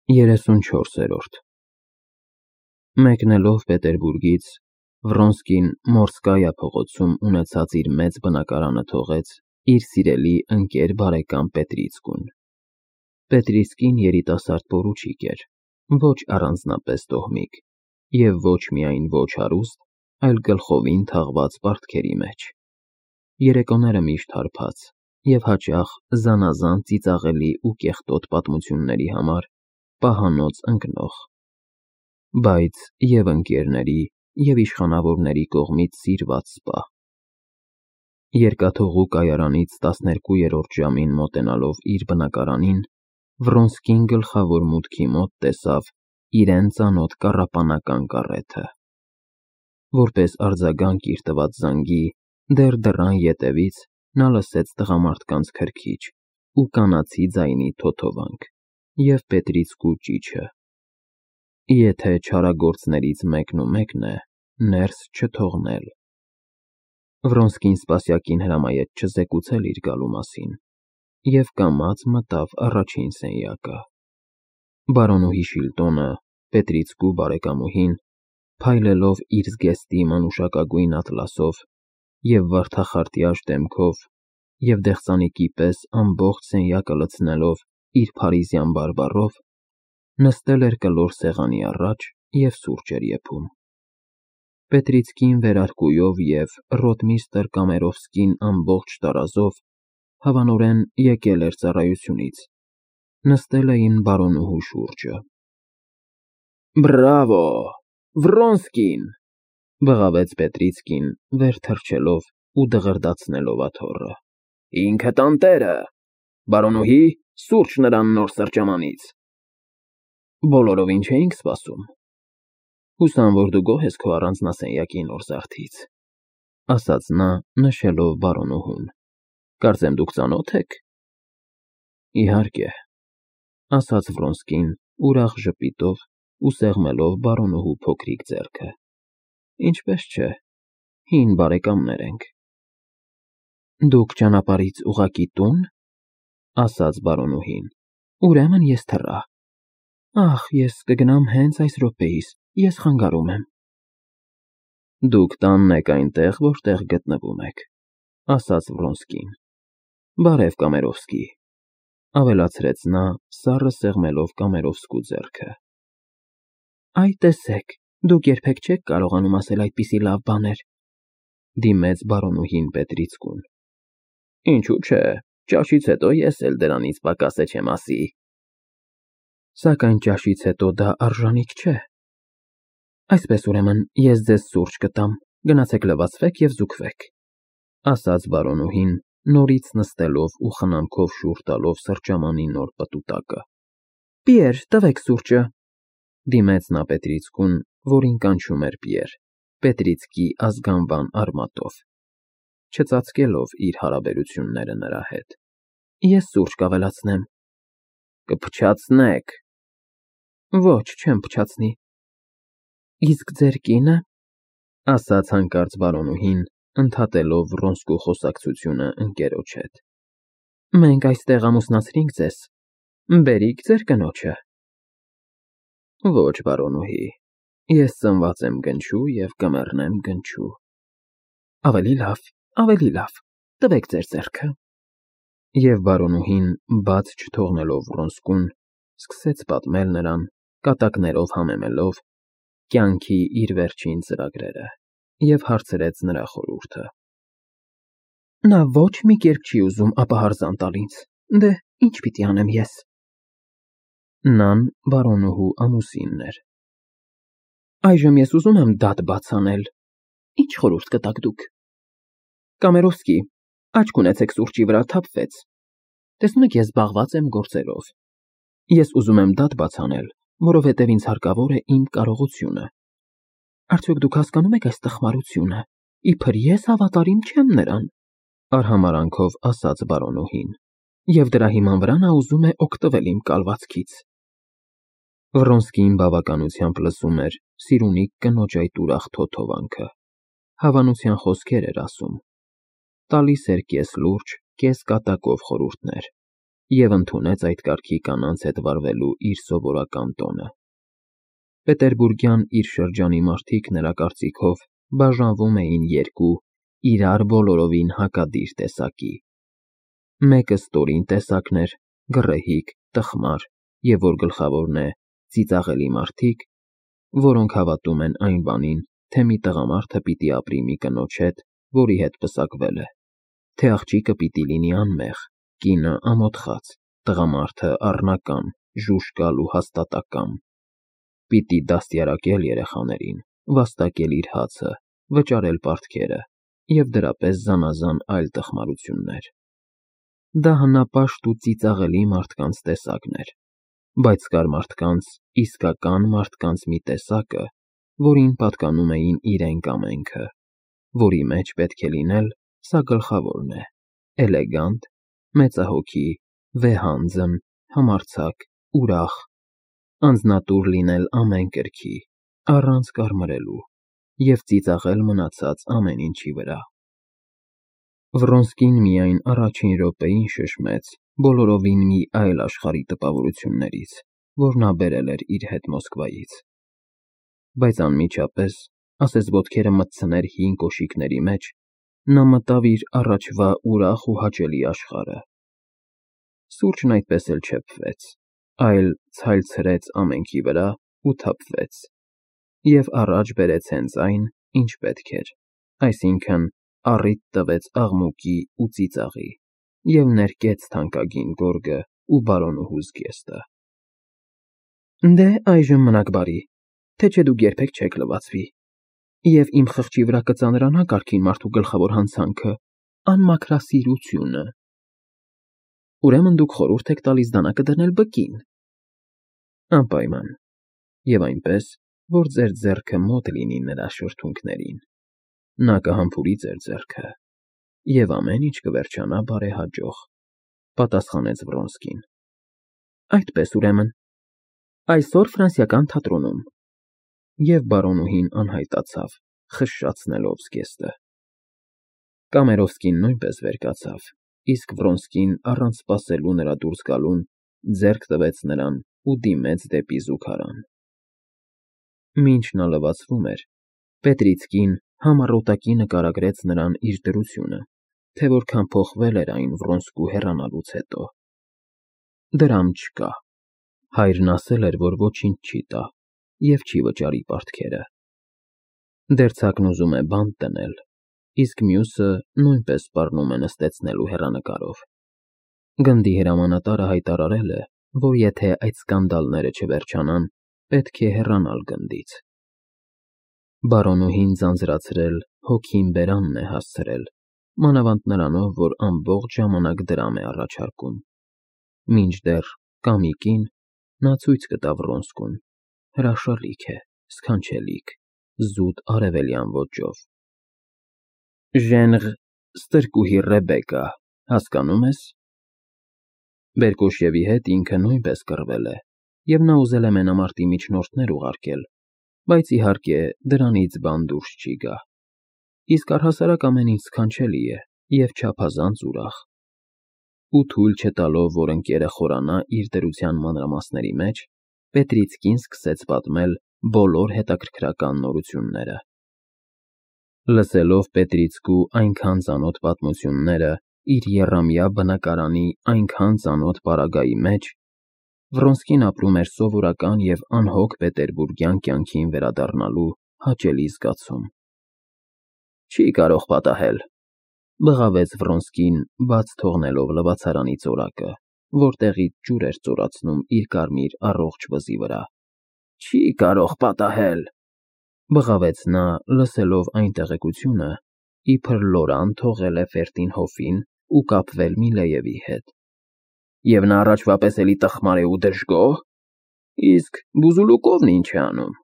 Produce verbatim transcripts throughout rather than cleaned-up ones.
երեսունչորսերորդ Մեկնելով Պետերբուրգից, Վրոնսկին Մորսկայա փողոցում ունեցած իր մեծ բնակարանը թողեց իր սիրելի ընկեր բարեկամ Պետրիցկուն։ Պետրիցկին երիտասարդ պորուչիկ էր, ոչ առանձնապես տոհմիկ, և ոչ միայն ոչ հարուստ, այլ գլխովին թաղված պարտքերի մեջ։ Երեկոները միշտ հարբած և հաճախ զանազան ծիծաղելի ու կեղտոտ պատմությունների համար պահանոց ընկնող, բայց և ընկերների, և իշխանավորների կողմից սիրված սպա։ Երկաթուղու կայարանից տասներկուերորդ ժամին մոտենալով իր բնակարանին, Վրոնսկին գլխավոր մուտքի մոտ տեսավ իրեն ծանոթ կառապանական կառեթը։ Որպես արձագանք իր տված զանգի, դեռ դռան ետևից նա լսեց տղամարդկանց քրքիջ ու կանացի ձայնի թոթովանք և Պետրիցկու ճիչը. «Եթե չարագործներից մեկնումեկն է, ներս չթողնել»։ Վրոնսկին սպասյակին հրամայեց չզեկուցել իր գալու մասին և կամաց մտավ առաջին սենյակը։ Բարոնուհի Շիլտոնը, Պետրիցկու բարեկամուհին, փայլելով իր զգեստի մանուշակագույն ատլասով և վարդախարտյաժ դեմքով և դեղսանիկի պես ամբողջ սենյակը լցնելով իր փարիզյան բարբառով, նստել էր կլոր սեղանի առաջ և սուրճ էր եփում։ Պետրիցկին վերարկուով և ռոտմիստրը Կամերովսկին ամբողջ տարազով հավանորեն եկել էր ծառայությունից, նստել էին բարոնուհու շուրջը։ «Բրավո, Վրոնսկին», բղավեց Պետրիցկին, վեր թռչելով ու դղրդացնելով աթոռը։ «Ինքդ անտերը, բարոնուհի, սուրճ նրան նոր սրճամանից»։ Բոլորովին չէինք սպասում։ Հուսամ, որ դու գոհ ես քո առանձնասենյակի նոր զարդից, ասաց նա, նշելով բարոնուհուն։ Կարծեմ դուք ծանո՞թ եք։ Իհարկե, ասաց Վրոնսկին ուրախ ժպիտով ու սեղմելով բարոնուհու փոքրիկ ձեռքը։ Ինչպես չէ, հին բարեկամներ ենք։ Դուք ճանապարհից ուղղակի տո՞ւն, ասաց բարոնուհին։ Ուրեմն ես թռա։ Ախ, ես կգնամ հենց այս րոպեիս, ես խանգարում եմ։ Դուք տանն եք այնտեղ, որտեղ գտնվում եք, ասաց Վրոնսկին։ Բարև, Կամերովսկի, ավելացրեց նա, սառը սեղմելով Կամերովսկու ձեռքը։ Այ տեսեք, դուք երբեք չեք կարողանում ասել այդպիսի լավ բաներ, դիմեց բարոնուհին Պետրիցկուն։ Ինչու՞ չէ, ճաշից հետո ես էլ դրանից պակաս չեմ ասի։ Սակայն ճաշից հետո դա արժանիք չէ։ Այսպես ուրեմն, ես ձեզ սուրճ կտամ, գնացեք լվացվեք և զուգվեք, ասաց բարոնուհին, նորից նստելով ու խնամքով շուռ տալով սրճամանի նոր պտուտակը։ Պիեր, տվեք սուրճը, դիմեց նա Պետրիցկուն, որին կանչում էր Պիեր, Պետրիցկի ազգանվան արմատով, չծածկելով իր հարաբերությունները նրա հետ։ Ես սուրճ կավելացնեմ։ Կփչացնեք։ Ոչ, չեմ փչացնի։ Իսկ ձեր կինը, ասաց հանկարծ բարոնուհին, ընդհատելով Վրոնսկու խոսակցությունը ընկերոջ հետ։ Մենք այստեղ ամուսնացրինք ձեզ, բերիք ձեր կնոջը։ Ոչ, բարոնուհի, ես ծնված եմ գնչու և կմեռնեմ գնչու։ Ավելի լավ, ավելի լավ, տվեք ձեր ձեռքը։ Եվ բարոնուհին, բաց չթողնելով Վրոնսկուն, սկսեց պատմել նրան, կատակներով համեմելով, կյանքի իր վերջին ծրագրերը և հարցրեց նրա խորհուրդը։ Նա ոչ մի կերպ չի ուզում ապահարզան տալ ինձ, դե ինչ պիտի անեմ ես։ Նան բարոնուհու ամուսինն էր։ Այժմ ես ուզում եմ դատ բաց անել։ Ինչ խորհուրդ կտաք դուք։ Կամերովսկի, աչք ունեցեք սուրճի վրա թափվեց։ Տեսնում եք, ես զբաղված եմ գործերով։ Ես ուզում եմ դատ բաց անել, որովհետև ինձ հարկավոր է իմ կարողությունը։ Արդյոք դուք հասկանում եք այս տխմարությունը, իբր ես հավատարիմ չեմ նրան, արհամարհանքով ասաց բարոնուհին, և դրա հիման վրա նա ուզում է օգտվել իմ կալվածքից։ Վրոնսկին բավականությամբ լսում էր սիրունիկ կնոջ այդ ուրախ թոթովանքը, հավանության խոսքեր էր ասում, տալիս էր կես լուրջ, կես կատակով խորհուրդներ, և ընդունեց այդ կարգի կանանց հետ վարվելու իր սովորական տոնը։ Պետերբուրգյան իր շրջանի մարդիկ նրա կարծիքով բաժանվում էին երկու իրար բոլորովին հակադիր տեսակի։ Մեկը ստորին տեսակն էր, գռեհիկ, տխմար և որ գլխավորն է, ծիծաղելի մարդիկ, որոնք հավատում են այն բանին, թե մի տղամարդը պիտի ապրի մի կնոջ հետ, որի հետ պսակվել է, թե աղջիկը պիտի լինի անմեղ, կինը ամոթխած, տղամարդը առնական, ժուժկալ ու հաստատակամ, պիտի դաստիարակել երեխաներին, վաստակել իր հացը, վճարել պարտքերը և դրա պես զանազան այլ տխմարություններ։ Դա հնապաշտ ու ծիծաղելի մարդկանց տեսակն էր, բայց կար մարդկանց, իսկական մարդկանց մի տեսակը, որին պատկանում էին իրենք ամենքը, որի մեջ պետք է լինել, սա գլխավորն է, էլեգանտ, մեծահոգի, վեհանձն, համարձակ, ուրախ, անձնատուր լինել ամեն կրքի, առանց կարմրելու և ծիծաղել մնացած ամեն ինչի վրա։ Վռոնսկին միայն առաջին րոպեին շշմեց բոլորովին մի այլ աշխարհի տպավորություններից, որ նա բերել էր իր հետ Մոսկվայից։ Բայց անմիջապես, ասես ոտքերը մտցներ հին կոշիկների մեջ, նա մտավ իր առաջվա ուրախ ու հաճելի աշխարհը։ Սուրճն այդպես էլ չփվեց, այլ ցայլցրեց ամենքի վրա ու թափվեց, և առաջ բերեց հենց այն, ինչ պետք էր, այսինքն՝ առիթ տվեց աղմուկի ու ծիծաղի և ներկեց թանկագին գորգը ու բարոնուհու զգեստը։ Դե, այժմ մնաք բարի, թե չէ դուք երբեք չեք լվացվի, և իմ խղճի վրա կծանրանա կարգին մարդու գլխավոր հանցանքը՝ անմաքրասիրությունը։ Ուրեմն դուք խորհուրդ եք տալիս դանակը դնել բկին։ Անպայման, և այնպես, որ ձեր ձեռքը մոտ լինի նրա շրթունքներին, նա կհամբուրի ձեր ձեռքը, և ամեն ինչ կվերջանա բարեհաջող, պատասխանեց Վռոնսկին։ Այդպես, ուրեմն, այսօր Ֆրանսիական թատրոնում։ Եվ բարոնուհին անհայտացավ, խշշացնելով զգեստը։ Կամերովսկին նույնպես վեր կացավ, իսկ Վռոնսկին առանց սպասելու նրա դուրս գալուն, ձեռք տվեց նրան ու դիմեց դեպի զուգարան։ Մինչ նա լվացվում էր, Պետրիցկին համառոտակի նկարագրեց նրան իր դրությունը, թե որքան փոխվել էր այն Վռոնսկու հեռանալուց հետո։ Դրամ չկա։ Հայրն ասել էր, որ ոչինչ չի տա և չի վճարի պարտքերը։ Դերձակն ուզում է բանտ դնել, իսկ մյուսը նույնպես սպառնում է նստեցնելու հեռանկարով։ Գնդի հրամանատարը հայտարարել է, որ եթե այդ սկանդալները չվերջանան, պետք է հեռանալ գնդից։ Բարոնուհին ձանձրացրել, հոգին բերանն է հասցրել, մանավանդ նրանով, որ ամբողջ ժամանակ դրամ է առաջարկում։ Մինչդեռ կամիկին նա ցույց կտա Վռոնսկուն, հրաշալիք է, սքանչելիք, զուտ արևելյան ոճով։ Ժենղ ստրկուհի Ռեբեկա, հասկանո՞ւմ ես։ Բերկոշևի հետ ինքը նույնպես կռվել է, և նա ուզել է մենամարտի միջնորդներ ուղարկել, բայց իհարկե դրանից բան դուրս չի գա։ Իսկ առհասարակ ամեն ինչ սքանչելի է և չափազանց ուրախ։ Ու թույլ չտալով, որ ընկերը խորանա իր դրության մանրամասների մեջ, Պետրիցկին սկսեց պատմել բոլոր հետաքրքրական նորությունները։ Լսելով Պետրիցկու այնքան ծանոթ պատմությունները իր եռամյա բնակարանի այնքան ծանոթ պարագայի մեջ, Վռոնսկին ապրում էր սովորական և անհոգ պետերբուրգյան կյանքին վերադառնալու հաճելի զգացում։ Չի կարող պատահել, բղավեց Վռոնսկին, բաց թողնելով լվացարանի ծորակը, որտեղից ջուր էր ծորացնում իր կարմիր առողջ վզի վրա։ Չի կարող պատահել, բղավեց նա, լսելով այն տեղեկությունը, իբր Լորան թողել է Ֆերտինհոֆին ու կապվել Միլեևի հետ։ Եվ նա առաջվա պես էլի տխմար է ու դժգո՞հ։ Իսկ Բուզուլուկովն ինչ է անում։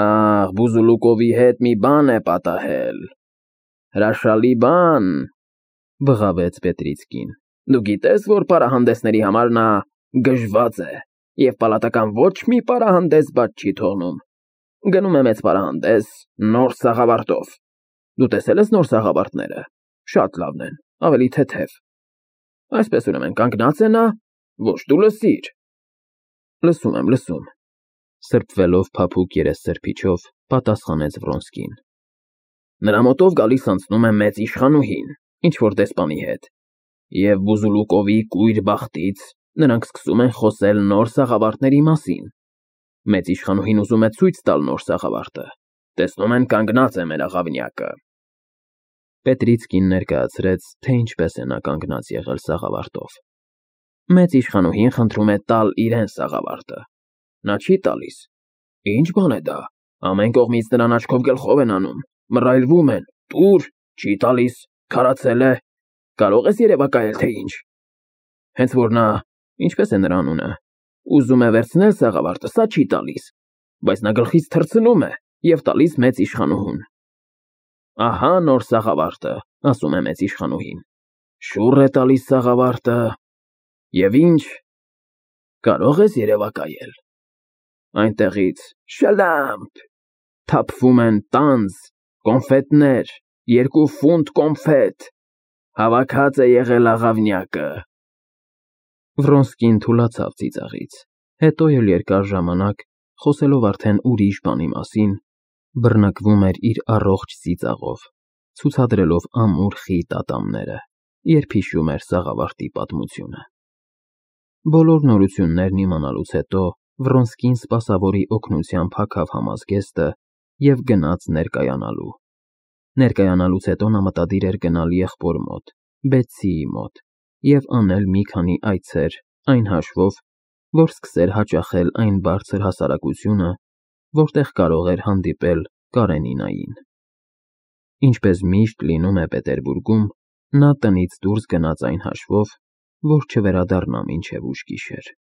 Ախ, Բուզուլուկովի հետ մի բան է պատահել։ Հրաշալի բան, բղավեց Պետրիցկին։ Դու գիտես, որ պարահանդեսների համար նա գժված է և պալատական ոչ մի պարահանդես բաց չի թողնում։ Գնում է մեծ պարահանդես, նոր սաղավարտով։ Դու տեսել ես նոր սաղավարտները։ Շատ լավն են, ավելի թեթև։ Այսպես ուրեմն կանգնած է նա, ոչ դու լսիր։ Լսում եմ, լսում։ Սրբվելով փափուկ երեսսրբիչով, պատասխանեց Վրոնսկին։ Նրա մոտով գալիս անցնում է մեծ իշխանուհին, ինչ որ դեսպանի հետ, և Բուզուլուկովի կույր բախտից նրանք սկսում են խոսել նոր սաղավարտների մասին։ Մեծ իշխանուհին ուզում է ցույց տալ նոր սաղավարտը, տեսնում են կանգնած է մեր աղավնյակը։ Պետրիցկին ներկայացրեց, թե ինչպես է նա կանգնած եղել սաղավարտով։ Մեծ իշխանուհին խնդրում է տալ իրեն սաղավարտը։ Նա չի տալիս։ Ինչ բան է դա։ Ամեն կողմից նրան աչքով գլխով են անում, մռայլվում են, տուր, չի տալիս, քարացել է, կարող ես երևակայել, թե ինչ։ Հենց որ նա, ինչպես է նրա անունը, ուզում է վերցնել սաղավարտը, սա չի տալիս, բայց նա գլխից թռցնում է և տալիս մեծ իշխանուհուն։ Ահա նոր սաղավարտը, ասում է մեծ իշխանուհին, շուռ է տալիս սաղավարտը, և ինչ, կարող ես երևակայել։ Այնտեղից շլամփ, թափվում են տանձ, կոնֆետներ, երկու ֆունտ կոնֆետ, հավաքած է եղել աղավնյակը։ Վրոնսկին թուլացավ ծիծաղից, հետո էլ երկար ժամանակ, խոսելով արդեն ուրիշ բանի մասին, բռնկվում էր իր առողջ ծիծաղով, ցուցադրելով ամուր խիտ ատամները, երբ հիշում էր սաղավարտի պատմությունը։ Բոլոր նորություններն իմանալուց հետո Վրոնսկին սպասավորի օգնությամբ հագավ համազգեստը և գնաց ներկայանալու։ Ներկայանալուց հետո նա մտադիր էր գնալ եղբոր մոտ, Բեցիի մոտ, և անել մի քանի այցեր, այն հաշվով, որ սկսեր հաճախել այն բարձր հասարակությունը, որտեղ կարող էր հանդիպել Կարենինային։ Ինչպես միշտ լինում է Պետերբուրգում, նա տնից դուրս գնաց այն հաշվով, որ չվերադառնա մինչև ուշ գիշեր։